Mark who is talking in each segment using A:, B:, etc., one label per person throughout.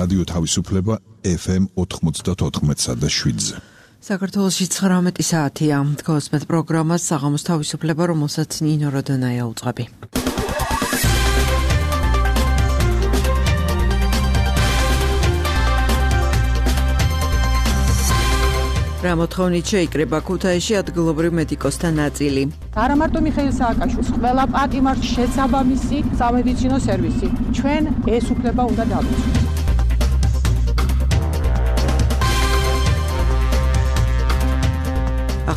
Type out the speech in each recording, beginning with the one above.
A: რადიო თავისუფლება FM 94.7-ზე.
B: საქართველოში 19 საათია. გოსმეთ პროგრამას საღამოს თავისუფლება, რომელსაც ნინო როდონაია უძღვები. რა მოთხოვნით შეიკრება ქუთაისში ადგილობრივ მედიკოსთან ნაწილი.
C: არა მარტო მიხეილ სააკაშვილს, ყველა პატიმარს შესაბამისი სამედიცინო სერვისი. ჩვენ ეს უფლება უნდა დავიცვათ.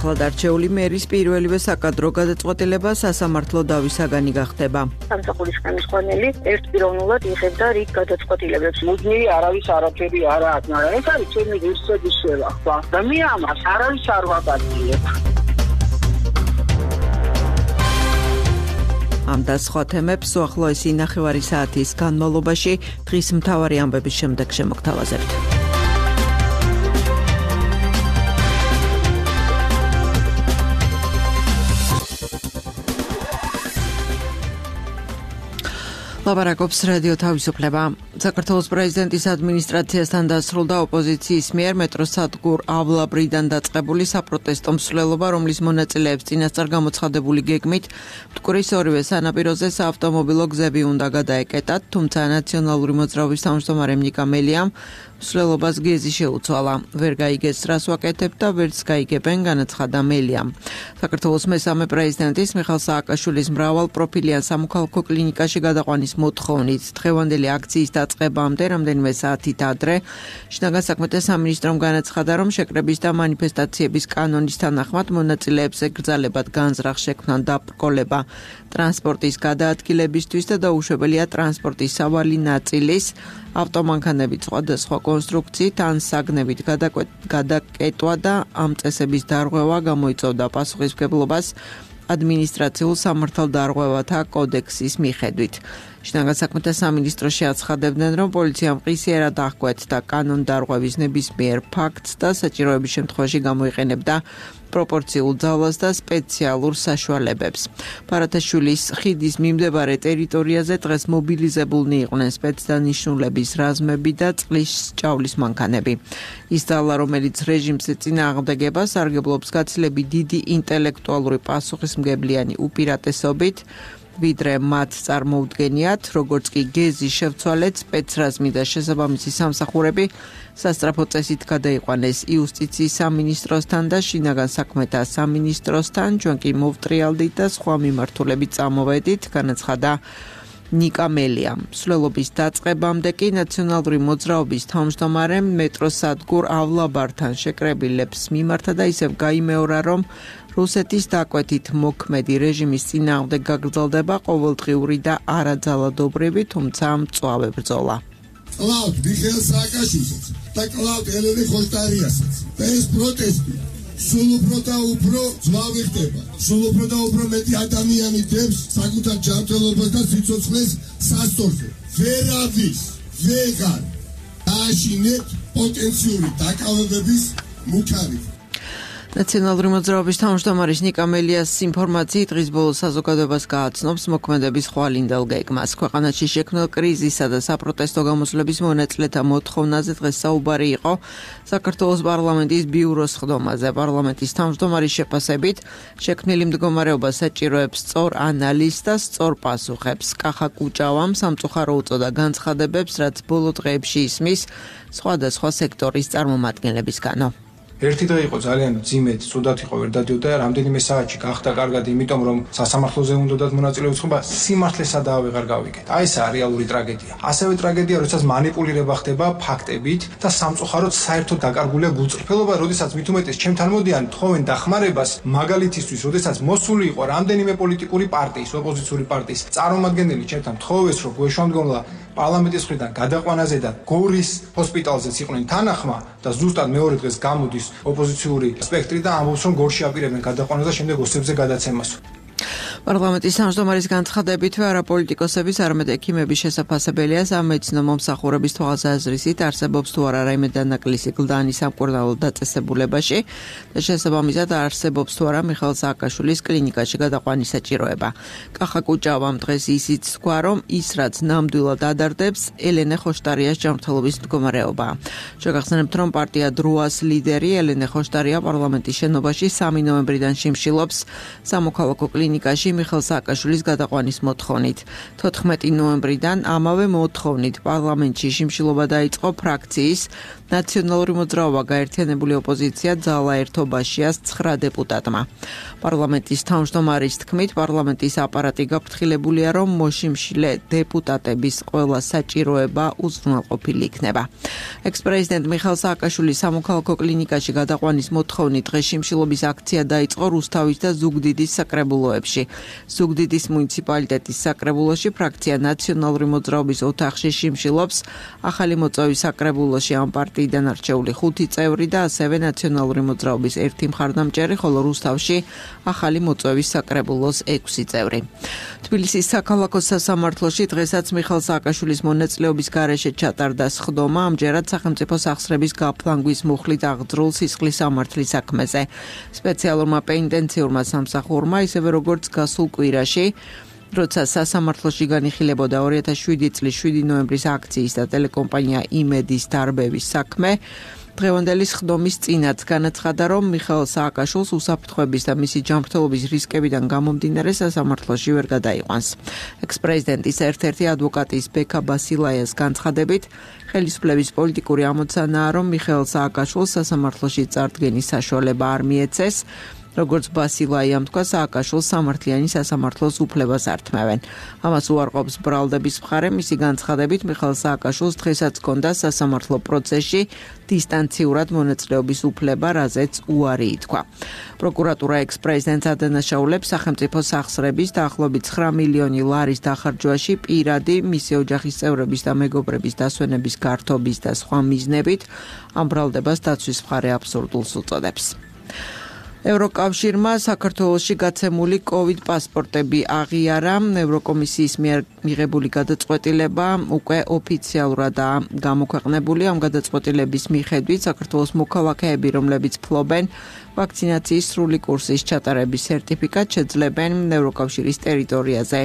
B: ახლად არჩეული მერის პირველივე საკადრო გადაწყვეტილება სასამართლო დავისაგანი გახდება.
D: სამსახურის ხელმძღვანელი ერთპიროვნულად იღებდა რიგ გადაწყვეტილებებს. მუდმივი არავის არაფერი არ აქვს, მაგრამ ეს არის ჩემი ღირსების შევახვა და მე ამას არავის არ ვაპატიებ.
B: ამ და სხვა თემებს უახლოესი ნახევარი საათის განმავლობაში დღის მთავარი ამბების შემდეგ შემოგთავაზებთ. ლაპარაკობს რადიო თავისუფლება. საქართველოს პრეზიდენტის ადმინისტრაციასთან დასრულდა ოპოზიციის მიერ მეტროსადგურ ავლაბრიდან დაწყებული საპროტესტო მსვლელობა, რომლის მონაწილეებს წინასწარ გამოცხადებული გეგმით მტკვრის ორივე სანაპიროზე საავტომობილო გზები უნდა გადაეკეტათ, თუმცა ნაციონალური მოძრაობის თავმჯდომარე ნიკა მელიამ მსვლელობას გეზი შეუცვალა. ვერ გაიგეს რას ვაკეთებთ და ვერც გაიგებენ, განაცხადა მელიამ. საქართველოს მესამე პრეზიდენტის მიხეილ სააკაშვილის მრავალპროფილიან სამოქალაქო კლინიკაში გადაყვანის მოთხოვნით დღევანდელი აქციის დაწყებამდე რამდენიმე საათით ადრე შინაგან საქმეთა სამინისტრომ განაცხადა, რომ შეკრების და მანიფესტაციების კანონის თანახმად მონაწილეებს ეკრძალებათ განზრახ შექმნან დაბრკოლება ტრანსპორტის გადაადგილებისთვის და დაუშვებელია ტრანსპორტის სავალი ნაწილის ავტომანქანებით სხვადასხვა კონსტრუქციით ან საგნებით გადაკეტვა და ამ წესების დარღვევა გამოიწვევდა პასუხისმგებლობას ადმინისტრაციულ სამართალდარღვევათა კოდექსის მიხედვით. შინაგან საქმეთა სამინისტროში აცხადებდნენ, რომ პოლიციამ ყისიერად აღკვეთა კანონდარღვევის ნებისმიერ ფაქტს და საჭიროების შემთხვევაში გამოიყენებდა პროპორციულ ძალას და სპეციალურ საშუალებებს. ბარათაშვილის ხიდის მიმდებარე ტერიტორიაზე დღეს მობილიზებულნი იყვნენ სპეცდანიშნულების რაზმები და წყლის ჭავლის მანქანები. ის ძალა, რომელიც რეჟიმს ეწინააღმდეგება, სარგებლობს გაცილებით დიდი ინტელექტუალური პასუხისმგებლიანი უპირატესობით, ვიდრე მათ წარმოუდგენიათ, როგორც კი გეზი შევცვალეთ, სპეცრაზმი და შესაბამისი სამსახურები სასწრაფო წესით გადაიყვანეს იუსტიციის სამინისტროსთან და შინაგან საქმეთა სამინისტროსთან, ჩვენ კი მოვტრიალდით და სხვა მიმართულებით წამოვედით, განაცხადა ნიკა მელიამ. მსვლელობის დაწყებამდე კი ნაციონალური მოძრაობის თავმჯდომარემ მეტროსადგურ ავლაბართან შეკრებილებს მიმართა და ისევ გაიმეორა, რომ რუსეთის დაკვეთით მოქმედი რეჟიმის წინააღმდეგ გაგრძელდება ყოველდღიური და არაძალადობრივი, თუმცა მწვავე ბრძოლა.
E: კლავთ მიხეილ სააკაშვილსაც და კლავთ ელენე ხოშტარიასაც და ეს პროტესტი სულ უფრო და უფრო ძვავი ხდება. სულ უფრო და უფრო მეტი ადამიანი დებს საკუთარ ჯანმრთელობას და სიცოცხლეს სასწორზე. ვერავის ვეგარ დააშინეთ პოტენციური დაკავებების მუქარით.
B: ნაციონალური მოძრაობის თავმჯდომარის ნიკა მელიას ინფორმაციით დღის ბოლოს საზოგადოებას გააცნობს მოქმედების ხვალინდელ გეგმას. ქვეყანაში შექმნილ კრიზისა და საპროტესტო გამოსვლების მონაწილეთა მოთხოვნაზე დღეს საუბარი იყო საქართველოს პარლამენტის ბიუროს ხდომაზე. პარლამენტის თავმჯდომარის შეფასებით შექმნილი მდგომარეობა საჭიროებს სწორ ანალიზს და სწორ პასუხებს. კახა კუჭავამ სამწუხარო უწოდა განცხადებებს, რაც ბოლო დღეებში ისმის სხვადასხვა სექტორის წარმომადგენლებისგანო.
F: ერთი დღე იყო ძალიან ძიმედ, ცუდად იყო ვერ დადიოდა, რამდენიმე საათში გახდა კარგად, იმიტომ რომ სასამართლოზე უნდათ მონაწილეობის ხობა, სიმართლეს სადაა ვეღარ გავიგეთ. აი ესაა რეალური ტრაგედია. ასევე ტრაგედია, როდესაც манипуლირება ხდება ფაქტებით და სამწუხაროდ საერთოდ დაკარგულია გულწრფელობა, როდესაც მით უმეტეს ჩემთან მოდიან თხოვენ დახმარებას მაგალითისთვის, როდესაც მოსული იყო რამდენიმე პოლიტიკური პარტიის, ოპოზიციური პარტიის წარმომადგენელი ჩემთან თხოვეს, რომ გვეშვალმდგომლა პარლამენტის მხრიდან გადაყვანაზე და გორის ჰოსპიტალზეც იყვნენ თანახმა და ზუსტად მეორე დღეს გამოდის ოპოზიციური სპექტრი და ამბობს, რომ გორში აპირებენ გადაყვანას და შემდეგ ოსებზე გადაცემას.
B: პარლამენტის თავმჯდომარის განცხადებითვე არაპოლიტიკოსების არამედ ექიმების შესაძლებელია სამედიცინო მომსახურების თვალსაზრისით არსებობს თუ არა რაიმე დანაკლისი კლდანი სამკურნალო დაწესებულებაში და შესაბამისად არსებობს თუ არა მიხეილ სააკაშვილის კლინიკაში გადაყვანის საჭიროება. კახა კუჭავამ დღეს ისიც თქვა, რომ ის რაც ნამდვილად ადარდებს ელენე ხოშტარიას ჯანმრთელობის მდგომარეობა. შეგახსენებთ, რომ პარტია დროას ლიდერი ელენე ხოშტარია პარლამენტის შენობაში 3 ნოემბრიდან შიმშილობს სამოქალაქო კლინიკაში მიხეილ სააკაშვილის გადაყვანის მოთხოვნით. 14 ნოემბრიდან ამავე მოთხოვნით პარლამენტში შიმშილობა დაიწყო ფრაქციის ნაციონალური მოძრაობა გაერთიანებული ოპოზიცია ძალა ერთობაშიას 9 დეპუტატმა. პარლამენტის თავმჯდომარის თქმით, პარლამენტის აპარატი გაფრთხილებულია, რომ მოშიმშილე დეპუტატების ყველა საჭიროება უზრუნველყოფილი იქნება. ექს-პრეზიდენტ მიხეილ სააკაშვილის სამოქალაქო კლინიკაში გადაყვანის მოთხოვნით დღეს შიმშილობის აქცია დაიწყო რუსთავის და ზუგდიდის საკრებულოებში. ზუგდიდის მუნიციპალიტეტის საკრებულოში ფრაქცია ნაციონალური მოძრაობის ოთახში შიმშილობს ახალი მოწვევის საკრებულოში ამ პარტიიდან არჩეული 5 წევრი და ასევე ნაციონალური მოძრაობის 1 მხარდამჭერი, ხოლო რუსთავში ახალი მოწვევის საკრებულოს 6 წევრი. თბილისის საქალაქო სასამართლოში დღესაც მიხეილ სააკაშვილის მონაწილეობის გარეშე ჩატარდა სხდომა, ამჯერად სახელმწიფო სახსრების გაფლანგვის მუხლით აღძრულ სისხლის სამართლის საქმეზე. სპეციალურმა პენიტენციურმა სამსახურმა, ისევე როგორც გასულ კვირაში, როცა სასამართლოში განიხილებოდა 2007 წლის 7 ნოემბრის აქციის და ტელეკომპანია იმედის დარბევის საქმე, დღევანდელი სხდომის წინაც განაცხადა, რომ მიხეილ სააკაშვილს უსაფრთხოების და მისი ჯანმრთელობის რისკებიდან გამომდინარე სასამართლოში ვერ გადაიყვანს. ექს-პრეზიდენტის ერთ-ერთი ადვოკატის ბექა ბასილაიას განცხადებით, ხელისუფლების პოლიტიკური ამოცანაა, რომ მიხეილ სააკაშვილს სასამართლოში წარდგენის საშუალება არ მიეცეს. როგორც ბასილაიამ თქვა, სააკაშვილს სამართლიანი სასამართლოს უფლებას ართმევენ. ამას უარყოფს ბრალდების მხარე, მისი განცხადებით, მიხეილ სააკაშვილს დღესაც ჰქონდა სასამართლო პროცესში დისტანციურად მონაწილეობის უფლება, რაზეც უარი ითქვა. პროკურატურა ექს-პრეზიდენტს ადანაშაულებს სახელმწიფო სახსრების დაახლოებით 9 მილიონი ლარის დახარჯვაში პირადი, მისი ოჯახის წევრების და მეგობრების დასვენების გართობის და სხვა მიზნებით. ამ ბრალდებას დაცვის მხარე აბსურდულს უწოდებს. ევროკავშირმა საქართველოში გაცემული COVID პასპორტები აღიარა. ევროკომისიის მიერ მიღებული გადაწყვეტილება უკვე ოფიციალურადაა გამოქვეყნებული. ამ გადაწყვეტილების მიხედვით საქართველოს მოქალაქეები, რომლებიც ფლობენ ვაქცინაციის სრული კურსის ჩატარების სერტიფიკატს, შეძლებენ ევროკავშირის ტერიტორიაზე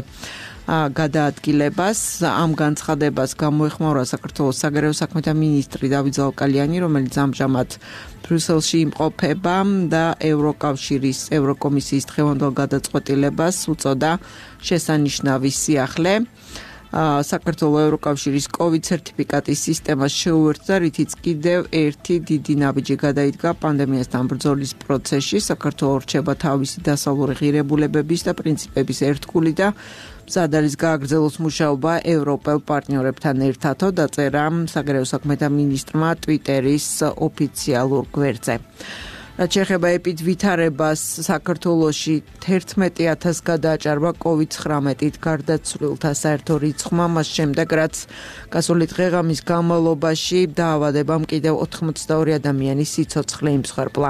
B: გადაადგილებას. ამ განცხადებას გამოეხმაურა საქართველოს საგარეო საქმეთა მინისტრი დავით ზალკალიანი, რომელიც ამჟამად ბრიუსელში იმყოფება და ევროკავშირის ევროკომისიის დღევანდელ გადაწყვეტილებას უწოდა შესანიშნავი სიახლე. საქართველოს ევროკავშირის COVID სერტიფიკატის სისტემას შეუერთდა, რითიც კიდევ ერთი დიდი ნაბიჯი გადაიდგა პანდემიასთან ბრძოლის პროცესში. საქართველოს რჩება თავისი დასავლური ღირებულებების და პრინციპების ერთგული და მზად არის გააგრძელოს მუშაობა ევროპელ პარტნიორებთან ერთადო, დაწერა საგარეო საქმეთა მინისტრმა ტვიტერის ოფიციალურ გვერდზე. რაც შეეხება ეპიდვითარებას, საქართველოში 11,000 გადააჭარბა COVID-19-ით გარდაცვლილთა საერთო რიცხვმა, მას შემდეგ, რაც გასული დღე-ღამის განმავლობაში დაავადებამ კიდევ 82 ადამიანის სიცოცხლე იმსხვერპლა.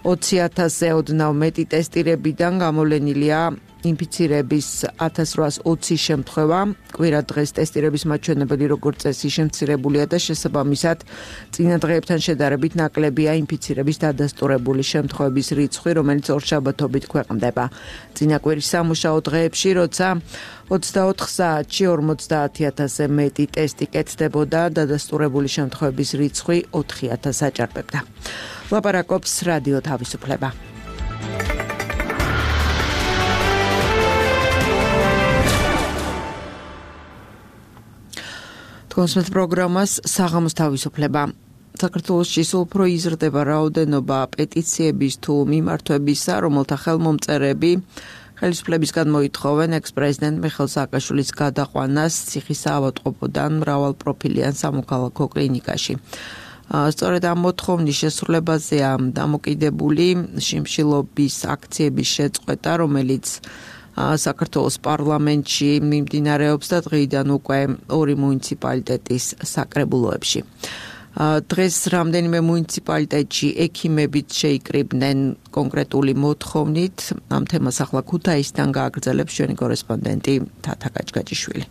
B: 20,000-ზე ოდნავ მეტი ტესტირებიდან გამოვლენილია ინფიცირების 1820 შემთხვევა. კვირა დღეს ტესტირების მაჩვენებელი როგორც წესი შემცირებულია და შესაბამისად წინა დღეებთან შედარებით ნაკლებია ინფიცირების დადასტურებული შემთხვევების რიცხვი, რომელიც ორშაბათობით ქვეყნდება. წინა კვირის სამუშაო დღეებში, როცა 24 საათში 50,000-ზე მეტი ტესტი კეთდებოდა, დადასტურებული შემთხვევების რიცხვი 4,000 აჭარბებდა. ლაპარაკობს რადიო თავისუფლება. კონსულტ პროგრამას საღამოს თავისუფლება. საქართველოში სულ უფრო იზრდება რაოდენობა პეტიციების თუ მიმართვებისა, რომელთა ხელმომწერები ხელისუფლებისგან მოითხოვენ ექს-პრეზიდენტ მიხეილ სააკაშვილის გადაყვანას ციხისაავადმყოფოდან მრავალპროფილიან სამოქალაქო კლინიკაში. სწორედ ამ მოთხოვნის შესრულებაზეა დამოკიდებული შიმშილობის აქციების შეწყვეტა, რომელიც საქართველოს პარლამენტში მიმდინარეობს და დღეიდან უკვე 2 მუნიციპალიტეტის საკრებულოებში. დღეს რამდენიმე მუნიციპალიტეტში ექიმებიც შეიკრიბნენ კონკრეტული მოთხოვნით. ამ თემას ახლა ქუთაისიდან გააგრძელებს ჩვენი კორესპონდენტი თათა გაჭგაჭიშვილი.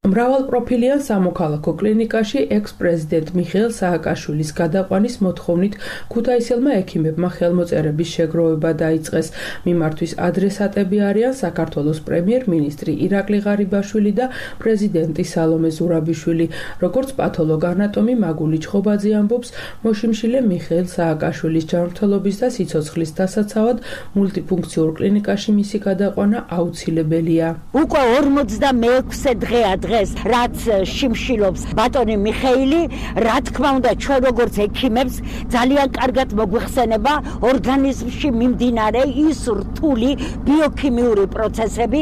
G: მრავალპროფილიან სამოქალაქო კლინიკაში ექს-პრეზიდენტ მიხეილ სააკაშვილის გადაყვანის მოთხოვნით ქუთაისელმა ექიმებმა ხელმოწერების შეგროვება დაიწყეს. მიმართვის ადრესატები არიან საქართველოს პრემიერ-მინისტრი ირაკლი ღარიბაშვილი და პრეზიდენტი სალომე ზურაბიშვილი. როგორც პათოლოგ-ანატომი მაგული ჩხობაძე ამბობს, მოშიმშილე მიხეილ სააკაშვილის ჯანმრთელობის და სიცოცხლის დასაცავად მულტიფუნქციურ კლინიკაში მისი გადაყვანა აუცილებელია.
H: უკვე 46 დღეა დღეს რაც შიმშილობს ბატონი მიხეილი, რა თქმა უნდა ჩვენ როგორც ექიმებს ძალიან კარგად მოგვიხსენება ორგანიზმში მიმდინარე ის რთული ბიოქიმიური პროცესები,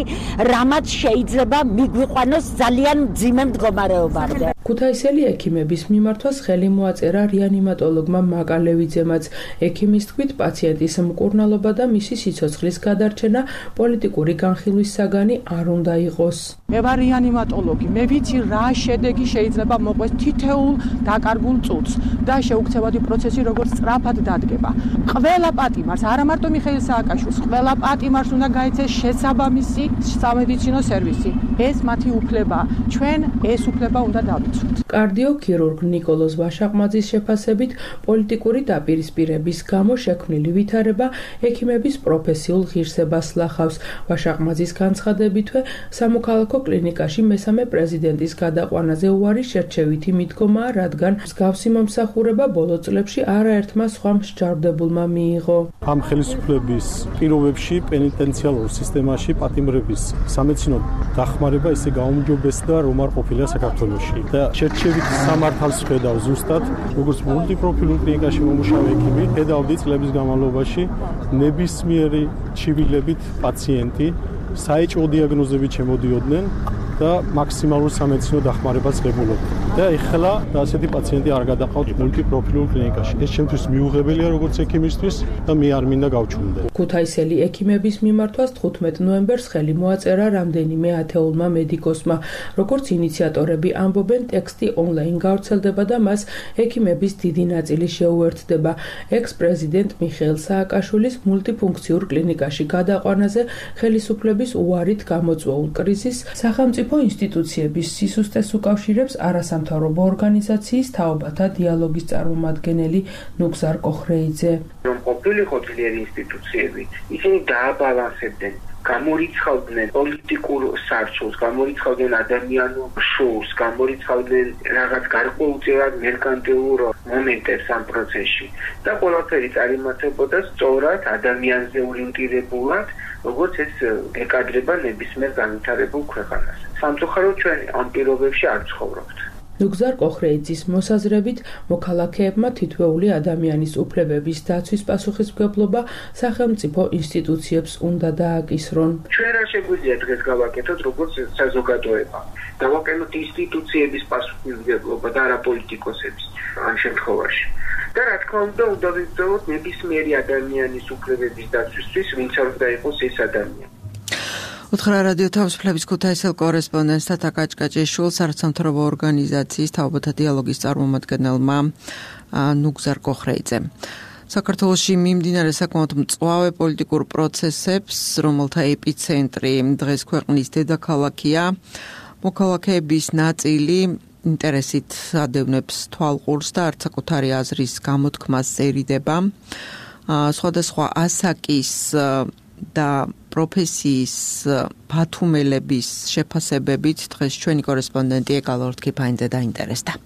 H: რამაც შეიძლება მიგვიყვანოს ძალიან მძიმე მდგომარეობამდე.
G: ქუთაისელი ექიმების მიმართვას ხელი მოაწერა რეანიმატოლოგმა მაკალევიძემაც. ექიმის თქმით, პაციენტის მკურნალობა და მისი სიცოცხლის გადარჩენა პოლიტიკური განხილვის საგანი არ უნდა იყოს.
C: მე ვარ რეანიმატოლოგი, მე ვიცი რა შედეგი შეიძლება მოყვეს თითოეულ დაკარგულ წუთს და შეუქცევადი პროცესი როგორც სწრაფად დადგება. ყველა პატიმარს, არა მარტო მიხეილ სააკაშვილს, ყველა პატიმარს უნდა გაიცეს შესაბამისი სამედიცინო სერვისი. ეს მათი უფლებაა. ჩვენ ეს უფლება უნდა დავიცვათ.
G: კარდიოქირურგ ნიკოლოზ ვაშაყმაძის შეფასებით, პოლიტიკური დაპირისპირების გამო შექმნილი ვითარება ექიმების პროფესიულ ღირსებას ლახავს. ვაშაყმაძის განცხადებითვე, სამოქალაქო კლინიკაში მესამე პრეზიდენტის გადაყვანაზე უარი შერჩევითი მიდგომაა, რადგან მსგავსი მომსახურება ბოლო წლებში არაერთმა სხვა მსჯავრდებულმა მიიღო.
I: ამ ხელისუფლების პირობებში პენიტენციალურ სისტემაში პატიმრების სამედიცინო დახმარება ისე გაუმჯობესდა, რომ არ ყოფილა საქართველოში. და შერჩევითი სამართალს ხედავ ზუსტად, როგორც მულტიპროფილურ კლინიკაში მომუშავე ექიმი, ხედავდი წლების განმავლობაში ნებისმიერი ჩივილებით პაციენტი საეჭვო დიაგნოზებით შემოდიოდნენ და მაქსიმალურ სამედიცინო დახმარებას ღებულობდნენ. და ეხლა ასეთი პაციენტი არ გადაყავთ მულტიპროფილურ კლინიკაში. ეს ჩემთვის მიუღებელია როგორც ექიმისთვის და მე არ მინდა გავჩვენდე.
G: ქუთაისელი ექიმების მიმართვას 15 ნოემბერს ხელი მოაწერა რამდენიმე ათეულმა მედიკოსმა. როგორც ინიციატორები ამბობენ, ტექსტი ონლაინ გავრცელდება და მას ექიმების დიდი ნაწილი შეუერთდება. ექს-პრეზიდენტ მიხეილ სააკაშვილის მულტიფუნქციურ კლინიკაში გადაყვანაზე ხელისუფლების უარით გამოწვეულ კრიზისს სახელმწიფო ინსტიტუციების სისუსტეს უკავშირებს არასამთავრობო ორგანიზაციის თაობათა დიალოგის წარმომადგენელი ნუგზარ კოხრეიძე.
J: რომ ყოფილიყო ძლიერი ინსტიტუციები, ისინი დააბალანსებდნენ, გამორიცხავდნენ პოლიტიკურ სარჩოს, გამორიცხავდნენ ადამიანურ შოუს, გამორიცხავდნენ რაღაც გარკვეულწილად მერკანტილურ მომენტებს ამ პროცესში და ყველაფერი წარიმართებოდა სწორად ადამიანზე ორიენტირებულად, როგორც ეს ეკადრება ნებისმიერ განვითარებულ ქვეყანას. სამწუხაროდ ჩვენ ამ პირობებში არ ცხოვრობთ.
G: ნუგზარ კოხრეიძის მოსაზრებით, მოქალაქეებმა თითოეული ადამიანის უფლებების დაცვის პასუხისმგებლობა სახელმწიფო ინსტიტუციებს უნდა დააკისრონ.
J: ჩვენ რა შეგვიძლია დღეს გავაკეთოთ, როგორც საზოგადოება? დავაკეთოთ ინსტიტუციების პასუხისმგებლობა და არა პოლიტიკოსების ამ შემთხვევაში. და რა თქმა უნდა ვიბრძოლოთ ნებისმიერი ადამიანის უფლებების დაცვისთვის, ვინც არ უნდა იყოს ეს ადამიანი.
B: უთხრა რადიო თავისუფლების ქუთაისელ კორესპონდენტს თათა გაჭგაჭიშვილს არასამთავრობო ორგანიზაციის თაობათა დიალოგის წარმომადგენელმა ნუგზარ კოხრეიძემ. საქართველოში მიმდინარე საკმაოდ მწვავე პოლიტიკურ პროცესებს, რომელთა ეპიცენტრი დღეს ქვეყნის დედაქალაქია, მოქალაქეების ნაწილი ინტერესით ადევნებს თვალყურს და არც საკუთარი აზრის გამოთქმას ერიდება. სხვადასხვა ასაკის და პროფესიის ბათუმელების შეფასებებით დღეს ჩვენი კორესპონდენტი ეკალორთ კიფაინძე დაინტერესდა.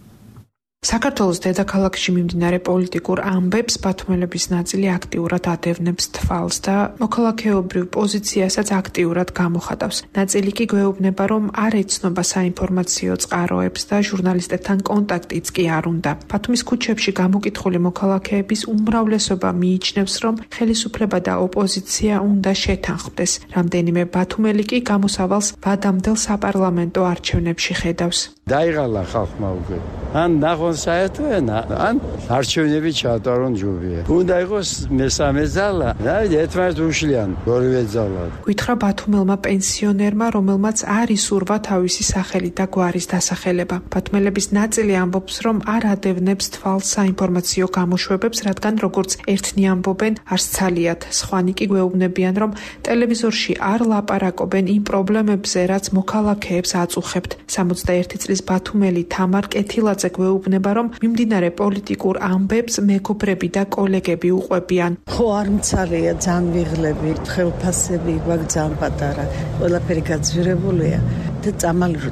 K: საქართველოს დედაქალაქში მიმდინარე პოლიტიკურ ამბებს ბათუმელების ნაწილი აქტიურად ადევნებს თვალს და მოქალაქეობრივ პოზიციასაც აქტიურად გამოხატავს. ნაწილი კი გვეუბნება, რომ არ ეცნობა საინფორმაციო წყაროებს და ჟურნალისტებთან კონტაქტიც კი არ უნდა. ბათუმის ქუჩებში გამოკითხული მოქალაქეების უმრავლესობა მიიჩნევს, რომ ხელისუფლება და ოპოზიცია უნდა შეთანხმდეს. რამდენიმე ბათუმელი კი გამოსავალს ვადამდელ საპარლამენტო არჩევნებში ხედავს.
L: დაიღალა ხალხმა უკვე. ან ნახონ საერთო ენა, ან არჩევნები ჩაატარონ ჯობია. უნდა იყოს მესამე ძალა და ერთმანეთს უშლიან ორივე ძალა.
K: გითხრა ბათუმელმა პენსიონერმა, რომელმაც არ ისურვა თავისი სახელი და გვარის დასახელება. ბათუმელების ნაწილი ამბობს, რომ არ ადევნებს თვალს საინფორმაციო გამოშვებებს, რადგან როგორც ერთნი ამბობენ, არც ცალიათ. სხვანი კი გვეუბნებიან, რომ ტელევიზორში არ ლაპარაკობენ იმ პრობლემებზე, რაც მოქალაქეებს აწუხებთ. 61 წლის ბათუმელი თამარ კეთილაძე გვეუბნება, რომ მიმდინარე პოლიტიკურ ამბებს მეგობრები და კოლეგები უყვებიან.
M: ხო არ მცალია, ძალიან ვიღლები, ხელფასები გვაქვს ძალიან პატარა. ყველაფერი გაძვირებულია და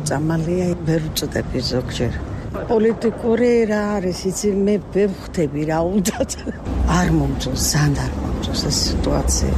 M: წამალია, ვერ უწოდები ზოგჯერ. პოლიტიკური რა არის, იცი მე ვერ ხვდები რა უნდათ. არ მომწონს, ძალიან არ მომწონს ეს სიტუაცია.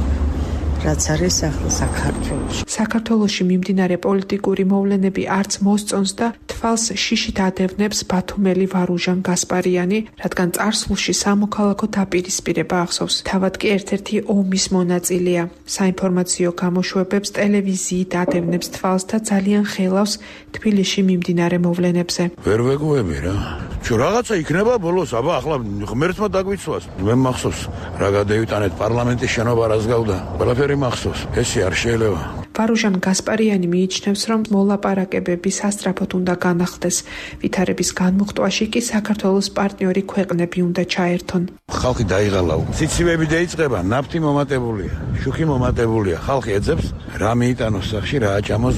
M: რაც არის ახლა საქართველოში.
K: საქართველოში მიმდინარე პოლიტიკური მოვლენები არც მოსწონს და თვალს შიშით ადევნებს ბათუმელი ვარუჟან გასპარიანი, რადგან წარსულში სამოქალაქო დაპირისპირება ახსოვს. თავად კი ერთ-ერთი ომის მონაწილეა. საინფორმაციო გამოშვებებს ტელევიზიით ადევნებს თვალს და ძალიან ხელავს თბილისში მიმდინარე მოვლენებზე.
N: ვერ ვეგუები რა. შო რაღაცა იქნება ბოლოს, აბა ახლა ღმერთმა დაგვიცვას. მე მახსოვს რა გადაივიტანეთ პარლამენტის შენობა რას გავდა. ყველაფერი მახსოვს. ესე არ შეიძლება.
K: ვარუჟან გასპარიანი მიიჩნევს, რომ მოლაპარაკებები სასწრაფოდ უნდა განახლდეს. ვითარების განმუხტვაში კი საქართველოს პარტნიორი ქვეყნები უნდა ჩაერთონ.
N: ხალხი დაიღალა. ციცივები დაიწყება, ნაფთი მომატებულია, შუქი მომატებულია. ხალხი ეძებს რა მიიტანოს სახში, რა აჭამოს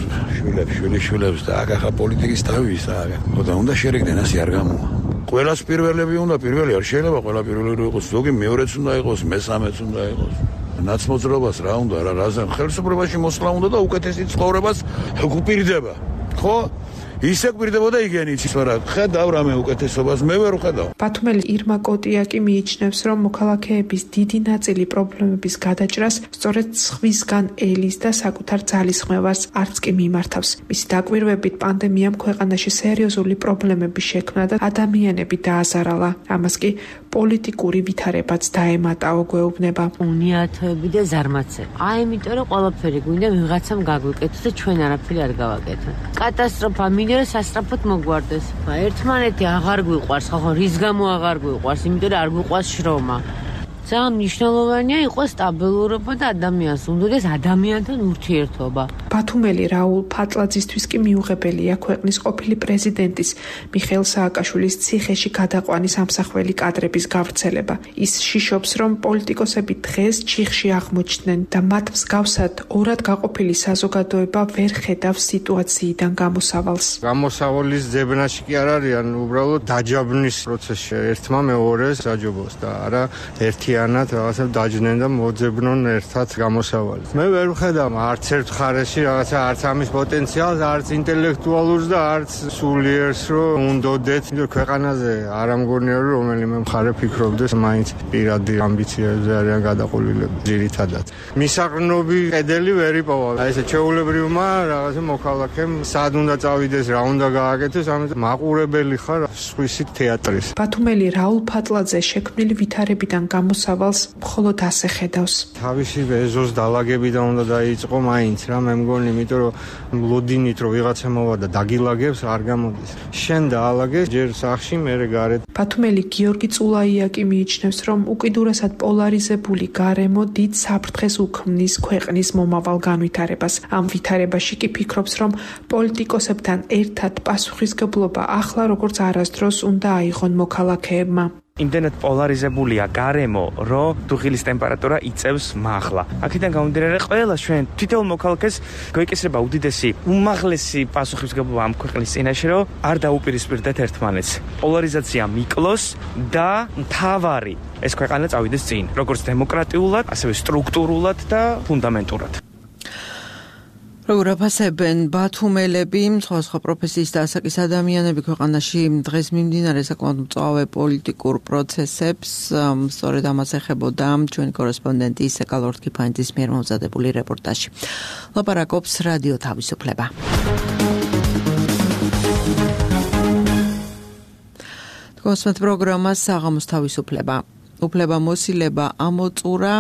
N: შვილებს და ახლა პოლიტიკის თავი ისაა. ხოდა უნდა შერიგდნენ, ასე არ გამოვა. ყველას პირველები უნდა, პირველი არ შეიძლება ყველა პირველი იყოს, ზოგი მეორეც უნდა იყოს, მესამეც უნდა იყოს. ნაცმოძრაობას რა უნდა, რაზე ხელისუფლებაში მოსვლა უნდა და უკეთესი ცხოვრებას გვპირდება. ხო? ისე გვპირდებოდა იგენიც რა. ხედავ რამე უკეთესობას მე ვერ ვხედავ.
K: ბათუმელი ირმა კოტიაკი მიიჩნევს, რომ მოქალაქეების დიდი ნაწილი პრობლემების გადაჭრას სწორედ სხვისგან ელის და საკუთარ ძალისხმევას არც კი მიმართავს. მისი დაკვირვებით პანდემიამ ქვეყანაში სერიოზული პრობლემები შექმნა და ადამიანები დააზარალა. ამას კი პოლიტიკური ვითარებაც დაემატაო, გვეუბნება.
O: უნიათოები და ზარმაცები. იმიტომ რომ ყველაფერი გვინდა ვიღაცამ გაგვიკეთოს და ჩვენ არაფერი არ გავაკეთოთ. კატასტროფა მინდა რომ სასწრაფოდ მოგვარდეს. ერთმანეთი აღარ გვიყვარს, ხო, რის გამო აღარ გვიყვარს? იმიტომ რომ არ გვიყვარს შრომა. ძალიან მნიშვნელოვანია იყოს სტაბილურობა და ადამიანს უნდადეს ადამიანთან ურთიერთობა.
K: ბათუმელი რაულ ფატლაძისთვის კი მიუღებელია ქვეყნის ყოფილი პრეზიდენტის მიხეილ სააკაშვილის ციხეში გადაყვანის ამსახველი კადრების გავრცელება. ის შიშობს, რომ პოლიტიკოსები დღეს ჩიხში აღმოჩნდნენ და მათ მსგავსად ორად გაყოფილი საზოგადოება ვერ ხედავს სიტუაციიდან გამოსავალს.
P: გამოსავალის ძებნაში კი არ არიან, უბრალოდ დაჯაბნის პროცესში ერთმა მეორეს დაჯობოს და არა ერთიანად რაღაცა დაჯდნენ და მოძებნონ ერთად გამოსავალს. მე ვერ ვხედავ არც ერთ ხარეში რაღაცა არც ამის პოტენციალს, არც ინტელექტუალურს და არც სულიერს, რომ უნდოდეთ ქვეყანაზე არ ამგონია რომ რომელიმე მხარე ფიქრობდეს მაინც პირადი ამბიციებზე არიან გადაყოლილები ძირითადად. მისაღრნოვი კედელი ვერ იპოვა. აი ესე ჩეულებრივმა რაღაცა მოქალაქემ სად უნდა წავიდეს, რა უნდა გააკეთოს, ამიტომ მაყურებელი ხარ სხვისი თეატრის.
K: ბათუმელი რაულ ფატლაძე შექმნილი ვითარებიდან გამოსავალს მხოლოდ ასე ხედავს.
P: თავისი ეზოს დალაგებიდან უნდა დაიწყო მაინც რა მე მგონი, იმიტომ რომ ლოდინით რომ ვიღაცა მოვა და დაგილაგებს არ გამოდის. შენ დაალაგეს ჯერ სახში, მერე გარეთ.
K: ბათუმელი გიორგი წულაია კი მიიჩნევს, რომ უკიდურესად პოლარიზებული გარემო დიდ საფრთხეს უქმნის ქვეყნის მომავალ განვითარებას. ამ ვითარებაში კი ფიქრობს, რომ პოლიტიკოსებთან ერთად პასუხისგებლობა ახლა როგორც არასდროს უნდა აიღონ მოქალაქეებმა.
Q: იმდენად პოლარიზებულია გარემო, რომ დუღილის ტემპერატურა იწევს მაღლა. აქედან გამომდინარე, ყველა ჩვენ თითოეულ მოქალაქეს გვეკისრება უდიდესი, უმაღლესი პასუხისმგებლობა ამ ქვეყნის წინაშე, რომ არ დაუპირისპირდეთ ერთმანეთს. პოლარიზაცია მიკლოს და მთავარი ეს ქვეყანა წავიდეს წინ, როგორც დემოკრატიულად, ასევე სტრუქტურულად და ფუნდამენტურად.
B: როგორ აფასებენ ბათუმელები, სხვა პროფესიის და ასაკის ადამიანები ქვეყანაში დღეს მიმდინარე საკმაოდ მწვავე პოლიტიკურ პროცესებს, სწორედ ამას ეხებოდა ჩვენი კორესპონდენტი ისეკალ ორთქიფანიძის მიერ მომზადებული რეპორტაჟი. ლაპარაკობს რადიო თავისუფლება. თქვენს პროგრამას საღამოს თავისუფლება. უფლება მოსილება ამოწურა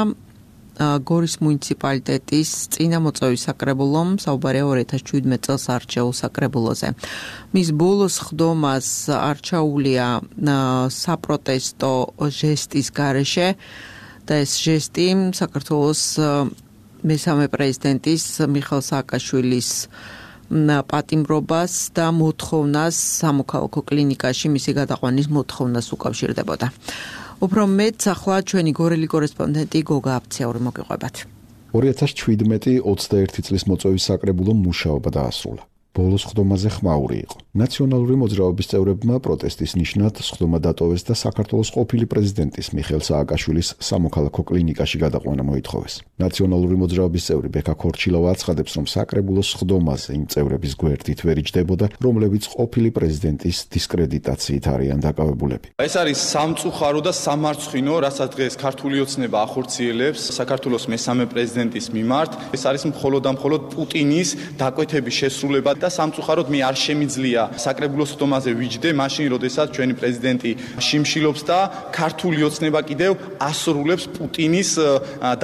B: გორის მუნიციპალიტეტის წინამოწვევის საკრებულომ საუბარია 2017 წელს არჩეულ საკრებულოზე. მის ბოლოს ხდომას არჩეულია საპროტესტო ჟესტის გარეშე და ეს ჟესტი საქართველოს მესამე პრეზიდენტის მიხეილ სააკაშვილის პატიმრობას და მოთხოვნას სამოქალაქო კლინიკაში მისი გადაყვანის მოთხოვნას უკავშირდებოდა. უფრო მეტ ახლა ჩვენი გორელი კორესპონდენტი გოგა აფციური მოგიყვებათ.
A: 2017-21 წლის მოწვევის საკრებულომ მუშაობა დაასრულა. ბოლოს ხდომაზე ხმაური იყო. ნაციონალური მოძრაობის წევრებმა პროტესტის ნიშნად ხდომა დატოვეს და საქართველოს ყოფილი პრეზიდენტის მიხეილ სააკაშვილის სამოქალაქო კლინიკაში გადაყვანა მოითხოვეს. ნაციონალური მოძრაობის წევრი ბექა ქორჩილავა აცხადებს, რომ საკრებულოს ხდომაზე იმ წევრების გვერდით ვერ იჯდებოდა, რომლებიც ყოფილი პრეზიდენტის დისკრედიტაციით არიან დაკავებულები.
R: ეს არის სამწუხარო და სამარცხვინო, რასაც დღეს ქართული ოცნება ახორციელებს საქართველოს მესამე პრეზიდენტის მიმართ. ეს არის მხოლოდ და მხოლოდ პუტინის დაკვეთების შესრულება და სამწუხაროდ მე არ შემიძლია საკრებულოს ხდომაზე ვიჯდე, მაშინ როდესაც ჩვენი პრეზიდენტი შიმშილობს და ქართული ოცნება კიდევ ასრულებს პუტინის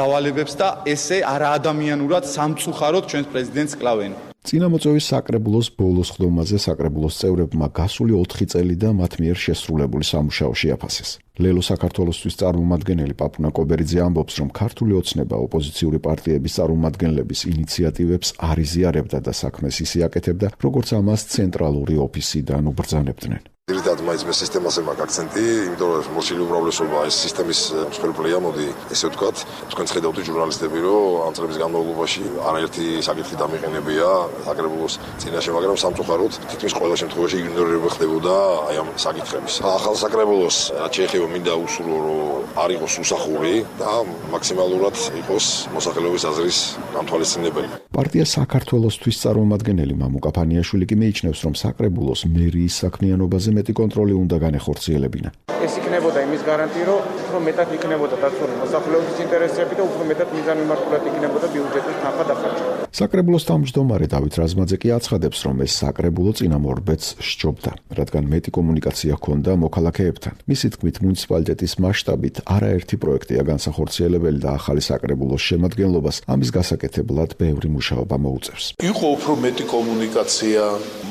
R: დავალებებს და ესე არაადამიანურად სამწუხაროდ ჩვენს პრეზიდენტს კლავენ.
A: წინამოწვევის საკრებულოს ბოლოს ხდომაზე საკრებულოს წევრებმა გასული 4 წელი და მათ მიერ შესრულებული სამუშაო შეაფასეს. ლელო საქართველოსთვის წარმომადგენელი პაპუნა კობერიძე ამბობს, რომ ქართული ოცნება ოპოზიციური პარტიების წარმომადგენლების ინიციატივებს არ იზიარებდა და საქმეს ისე აკეთებდა, როგორც ამას ცენტრალური ოფისიდან უბრძანებდნენ.
S: Direct მაინც მე სისტემაზე მაქვს აქცენტი, იმიტომ რომ მოსილი უმრავლესობა ეს სისტემის მსხვერპლია, მოდი ესე ვთქვათ. თქვენ ხედავთ ჟურნალისტები, რომ ამ წლების განმავლობაში არაერთი საკითხი დამიყენებია საკრებულოს წინაშე, მაგრამ სამწუხაროდ თითქმის ყველა შემთხვევაში იგნორირება ხდებოდა აი ამ საკითხების. ახალ საკრებულოს რაც შეეხება მინდა უსურვო, რომ არ იყოს უსახური და მაქსიმალურად იყოს მოსახლეობის აზრის გამთვალისწინებელი.
A: პარტია საქართველოსთვის წარმომადგენელი მამუკა ფანიაშვილი კი მიიჩნევს, რომ საკრებულოს მერიის საქმიანობაზე მეტი კონტროლი უნდა განეხორციელებინა.
T: ეს იქნებოდა იმის გარანტია, რომ უფრო მეტად იქნებოდა დაცული მოსახლეობის ინტერესები და უფრო მეტად მიზანმიმართულად იქნებოდა ბიუჯეტის თანხა დახარჯვა.
A: საკრებულოს თავმჯდომარე დავით რაზმაძე კი აცხადებს, რომ ეს საკრებულო წინამორბედს სჯობდა, რადგან მეტი კომუნიკაცია ჰქონდა მოქალაქეებთან. მისი თქმით, მუნიციპალიტეტის მასშტაბით არაერთი პროექტია განსახორციელებელი და ახალი საკრებულოს შემადგენლობას ამის გასაკეთებლად ბევრი მუშაობა მოუწევს.
U: იყო უფრო მეტი კომუნიკაცია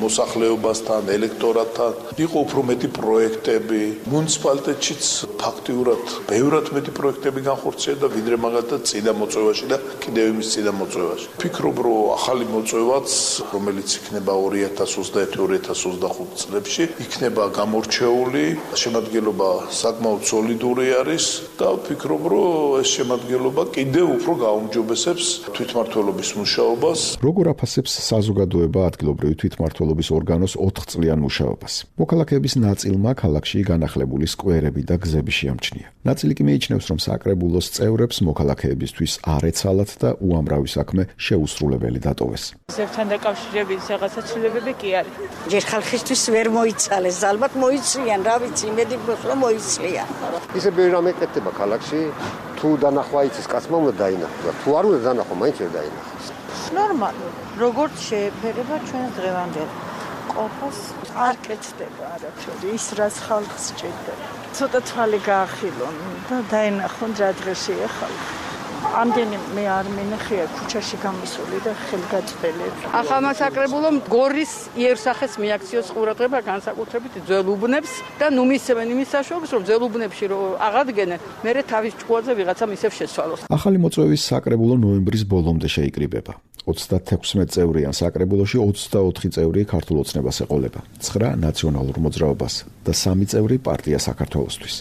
U: მოსახლეობასთან, ელექტორატთან, იყო უფრო მეტი პროექტები. მუნიციპალიტეტშიც ფაქტიურად ბევრად მეტი პროექტები განხორციელდა, ვიდრე მაგალითად წინა მოწვევაში და კიდევ იმის წინა მოწვევაში. ვფიქრობ, რომ ახალი მოწვევაც, რომელიც იქნება 2021-2025 წლებში, იქნება გამორჩეული, შემადგენლობა საკმაოდ სოლიდური არის და ვფიქრობ, რომ ეს შემადგენლობა კიდევ უფრო გაუმჯობესებს თვითმმართველობის მუშაობას.
A: როგორ აფასებს საზოგადოება ადგილობრივი თვითმმართველობის ორგანოს 4 წლიან მუშაობას? მოქალაქეების ნაწილმა ქალაქში განახლებული სკვერები და გზები შეამჩნია. ნაწილი კი მიიჩნევს, რომ საკრებულოს წევრებს მოქალაქეებისთვის არ ეცალათ და უამრავი საქმე შეუსრულებელი დატოვეს.
V: ზებთან დაკავშირებით რაღაცა ცვლილებები კი არის.
H: ჯერ ხალხისთვის ვერ მოიცალეს, ალბათ მოიცლიან, რა ვიცი, იმედი გვაქვს რომ მოიცლიან.
W: ისე ბევრი რამე ეკეთება ქალაქში, თუ დანახვა იცის კაცმა უნდა დაინახოს. თუ არ უნდა დანახვა, მაინც ვერ დაინახოს.
V: ნორმალი. როგორც შეეფერება ჩვენს დღევანდელ ყოფას არ კეთდება არაფერი, ის რაც ხალხს სჭირდება. ცოტა თვალი გაახილონ და დაინახონ რა დღეშია ხალხი. ამდენი მე არ მინახია ქუჩაში გამისული და ხელგაწყვეტილები.
X: ახალმა საკრებულომ გორის იერსახეს მიაქციოს ყურადღება განსაკუთრებით ძველ უბნებს და ნუ მისცემენ იმის საშუალებას, რომ ძველ უბნებში რომ აღადგენენ, მერე თავის ჭკუაზე ვიღაცამ ისევ შეცვალოს.
A: ახალი მოწვევის საკრებულო ნოემბრის ბოლომდე შეიკრიბება. 36 წევრიან საკრებულოში 24 წევრი ქართულ ოცნებას ეყოლება, 9 ნაციონალურ მოძრაობას და 3 წევრი პარტია საქართველოსთვის.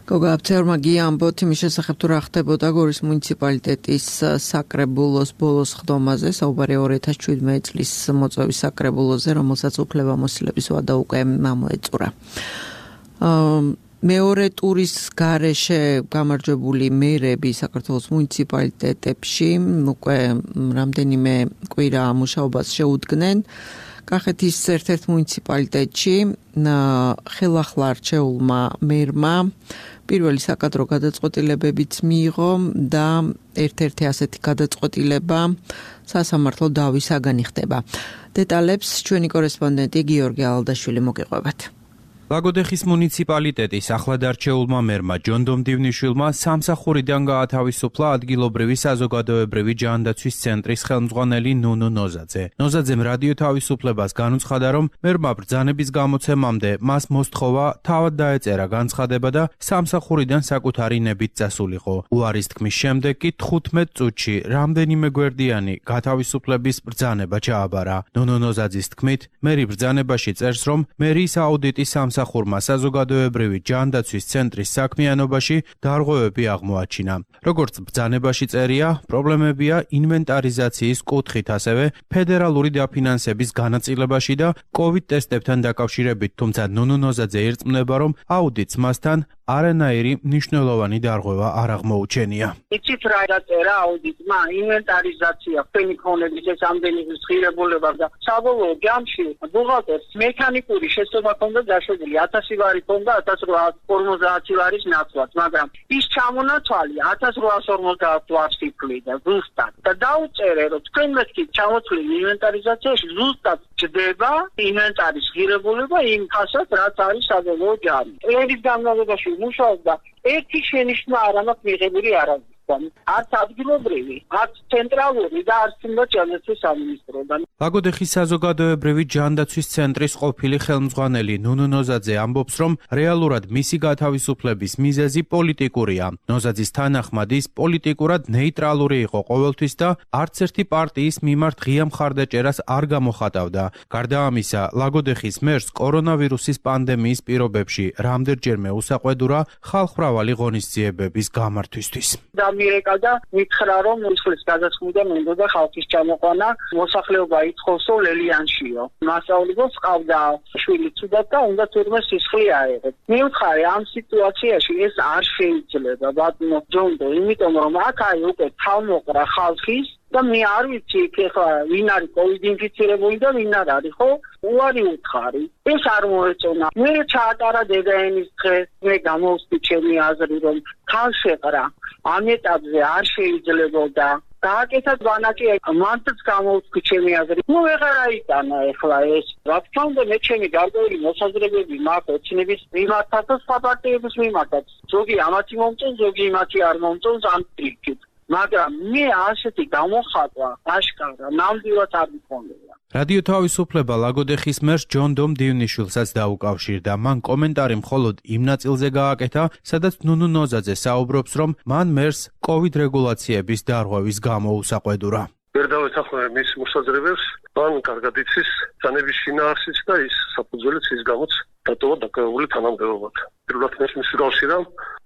B: გოგა აფცეურმა გიამბოთ იმის შესახებ თუ რა ხდებოდა გორის მუნიციპალიტეტის საკრებულოს ბოლოს ხდომაზე, საუბარია 2017 წლის მოწვევის საკრებულოზე, რომელსაც უფლებამოსილების ვადა უკვე მოეწურა. მეორე ტურის გარეშე გამარჯვებული მერები საქართველოს მუნიციპალიტეტებში უკვე რამდენიმე კვირა მუშაობას შეუდგნენ. კახეთის ერთ-ერთ მუნიციპალიტეტში ხელახლა არჩეულმა მერმა პირველი საკადრო გადაწყვეტილებებიც მიიღო და ერთ-ერთი ასეთი გადაწყვეტილება სასამართლო დავისაგანი ხდება. დეტალებს ჩვენი კორესპონდენტი გიორგი ალდაშვილი მოგიყვებათ.
C: ლაგოდეხის მუნიციპალიტეტის ახლადარჩეულმა მერმა ჯონდომ დივნიშვილმა სამსახურიდან გაათავისუფლა ადგილობრივი საზოგადოებრივი ჯანდაცვის ცენტრის ხელმძღვანელი ნუნუ ნოზაძე. ნოზაძემ რადიო თავისუფლებას განუცხადა, რომ მერმა ბრძანების გამოცემამდე მას მოსთხოვა თავად დაეწერა განცხადება და სამსახურიდან საკუთარი ნებით წასულიყო. უარის თქმის შემდეგ კი 15 წუთში რამდენიმე გვერდიანი გათავისუფლების ბრძანება ჩააბარა. ნუნუ ნოზაძის თქმით, მერი ბრძანებაში წერს, რომ მერიის აუდიტის სამსახურმა საზოგადოებრივი ჯანდაცვის ცენტრის საქმიანობაში დარღვევები აღმოაჩინა. როგორც ბრძანებაში წერია, პრობლემებია ინვენტარიზაციის კუთხით, ასევე ფედერალური დაფინანსების განაწილებაში და COVID ტესტებთან დაკავშირებით, თუმცა ნუნუ ნოზაძე ირწმუნება, რომ აუდიტს მასთან არანაირი მნიშვნელოვანი დარღვევა არ აღმოუჩენია.
D: იცით რა დაწერა აუდიტმა? ინვენტარიზაცია, ფენი ქონების ეს ამდენი ღირებულება და საბოლოო ჯამში ბუღალტერს მექანიკური შესწორება ჰქონდა დაშვებული 1000 ვარი ჰქონდა 1850 ვარის ნაცვლად, მაგრამ ის ჩამონათვალი 1850 ვარს იფლიდა ზუსტად. და დაუწერე, რომ თქვენ მეთქი ჩამოთვლილი ინვენტარიზაციაში ზუსტად ჩდება ინვენტარის ღირებულება იმ ხასაც, რაც არის საბოლოო ჯამი. წლების განმავლობაში მუშაობდა ერთი შენიშვნა არ აქვს მიღებული არასდროს. არც ადგილობრივი, არც ცენტრალური და არც ჯანდაცვის სამინისტროდან.
C: ლაგოდეხის საზოგადოებრივი ჯანდაცვის ცენტრის ყოფილი ხელმძღვანელი ნუნუ ნოზაძე ამბობს, რომ რეალურად მისი გათავისუფლების მიზეზი პოლიტიკურია. ნოზაძის თანახმად ის პოლიტიკურად ნეიტრალური იყო ყოველთვის და არც ერთი პარტიის მიმართ ღია მხარდაჭერას არ გამოხატავდა. გარდა ამისა, ლაგოდეხის მერს კორონავირუსის პანდემიის პირობებში რამდენჯერმე უსაყვედურა ხალხმრავალი ღონისძიებების გამართვისთვის.
D: მიერეკა და მითხრა, რომ ისლის გადასხმიდან უნდა ხალხის ჩამოყვანა, მოსახლეობა ითხოვსო ლელიანშიო. მასწავლებლებს ყავდა შვილი ცუდად და უნდა თურმე სისხლი აეღოთ. მივთხარი, ამ სიტუაციაში ეს არ შეიძლება, ბატონო ჯონდო, იმიტომ რომ აქ უკვე თავმოყრა ხალხის და მე არ ვიცი ეხლა ვინ არის COVID ინფიცირებული და ვინ არ არის, ხო? უარი უთხარი. ეს არ მოეწონა. მე ჩაატარა დედაენის დღე, მე გამოვსდი ჩემი აზრი, რომ ხალხშეყრა ამ ეტაპზე არ შეიძლებოდა. დააკეთა ბანაკი, მანდაც გამოვსდი ჩემი აზრი. ნუ ვეღარ აიტანა ეხლა ეს. რა თქმა უნდა, მე ჩემი გარკვეული მოსაზრებები მაქვს ოცნების მიმართაც და სხვა პარტიების მიმართაც. ზოგი ამათი მომწონს, ზოგი იმათი არ მომწონს ამ ტრიკით. მაგრამ მე ასეთი გამოხატვა აშკარა ნამდვილად არ მქონია.
C: რადიო თავისუფლება ლაგოდეხის მერს ჯონდომ დივნიშვილსაც დაუკავშირდა. მან კომენტარი მხოლოდ იმ ნაწილზე გააკეთა, სადაც ნუნუ ნოზაძე საუბრობს, რომ მან მერს COVID რეგულაციების დარღვევის გამო უსაყვედურა.
E: ვერ დავეთანხმე მის მოსაზრებებს, მან კარგად იცის ბრძანების შინაარსიც და ის საფუძველიც ის გამოც დატოვა დაკავებული თანამდებობად. პირველად მის გავსირა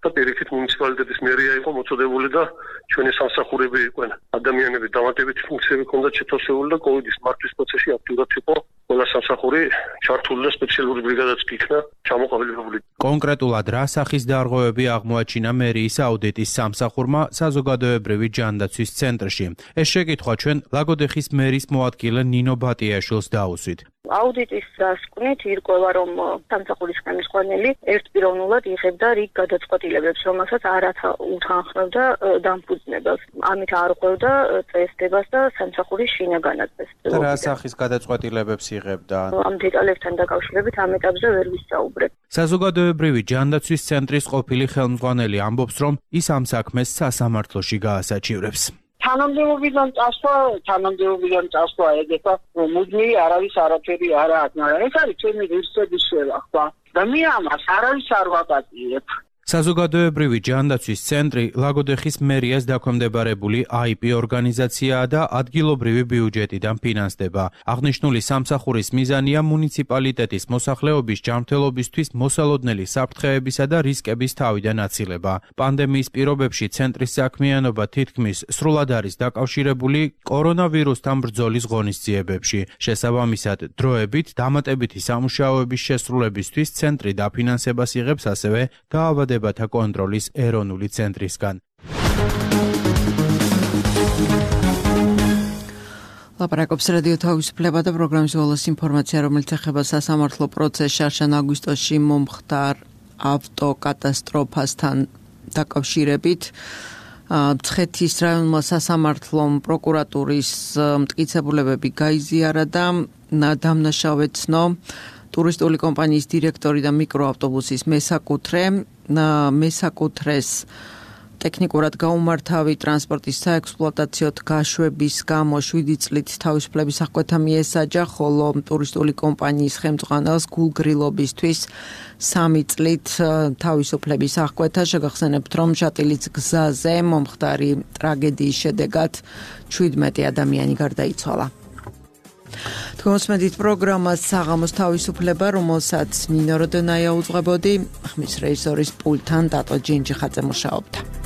E: და პირიქით მუნიციპალიტეტის მერია იყო მოწოდებული და ჩვენი სამსახურები იყვნენ. ადამიანები დამატებითი ფუნქციები ჰქონდათ შეთავსებული და COVID-ის მართვის პროცესში აქტიურად იყო ყველა სამსახური ჩართული და სპეციალური ბრიგადაც იქნა ჩამოყალიბებული.
C: კონკრეტულად რა სახის დარღვევები აღმოაჩინა მერიის აუდიტის სამსახურმა საზოგადოებრივი ჯანდაცვის ცენტრში? ეს შეკითხვა ჩვენ ლაგოდეხის მერის მოადგილე ნინო ბატიაშვილს დაუსვით.
F: აუდიტის დასკვნით ირკვევა, რომ სამსახურის ხელმძღვანელი ერთპიროვნულად იღებდა რიგ გადაწყვეტილებებს, რომელსაც არ უთანხმებდა დამფუძნებელს. ამით არ ყვევდა წესდებას და სამსახურის შინაგანაწესს.
C: რა სახის გადაწყვეტილებებს იღებდა?
F: ამ დეტალებთან დაკავშირებით ამ ეტაპზე ვერ ვისაუბრებ.
C: საზოგადოებრივი ჯანდაცვის ცენტრის ყოფილი ხელმძღვანელი ამბობს, რომ ის ამ საქმეს სასამართლოში გაასაჩივრებს.
D: თანამდებობიდან წასვლა ეგეთა მუდმივი არავის არაფერი არ აქვს, მაგრამ ეს არის ჩემი ღირსების შევახვა და მე ამას არავის არ ვაპატიებ.
C: საზოგადოებრივი ჯანდაცვის ცენტრი ლაგოდეხის მერიას დაქვემდებარებული IP ორგანიზაციაა და ადგილობრივი ბიუჯეტიდან ფინანსდება. აღნიშნული სამსახურის მიზანია მუნიციპალიტეტის მოსახლეობის ჯანმრთელობისთვის მოსალოდნელი საფრთხეებისა და რისკების თავიდან აცილება. პანდემიის პირობებში ცენტრის საქმიანობა თითქმის სრულად არის დაკავშირებული კორონავირუსთან ბრძოლის ღონისძიებებში. შესაბამისად, დროებით დამატებითი სამუშაოების შესრულებისთვის ცენტრი დაფინანსებას იღებს ასევე დაავადებათა კონტროლის ეროვნული ცენტრისგან.
B: ლაპარაკობს რადიო თავისუფლება და პროგრამის ბოლოს ინფორმაცია, რომელიც ეხება სასამართლო პროცესს შარშან აგვისტოში მომხდარ ავტოკატასტროფასთან დაკავშირებით. მცხეთის რაიონმა სასამართლომ პროკურატურის მტკიცებულებები გაიზიარა და დამნაშავე ცნო ტურისტული კომპანიის დირექტორი და მიკროავტობუსის მესაკუთრეს ტექნიკურად გაუმართავი ტრანსპორტის საექსპლუატაციო გაშვების გამო 7 წლით თავისუფლების აღკვეთა მიესაჯა, ხოლო ტურისტული კომპანიის ხელმძღვანელს გულგრილობისთვის 3 წლით თავისუფლების აღკვეთა. შეგახსენებთ, რომ შატილის გზაზე მომხდარი ტრაგედიის შედეგად 17 ადამიანი გარდაიცვალა. თქვენს პროგრამას საღამოს თავისუფლება, რომელსაც ნინო როდონაია უძღვებოდი, ხმის რეჟისორის პულტთან დატო ჯინჯიხაძე მუშაობდა.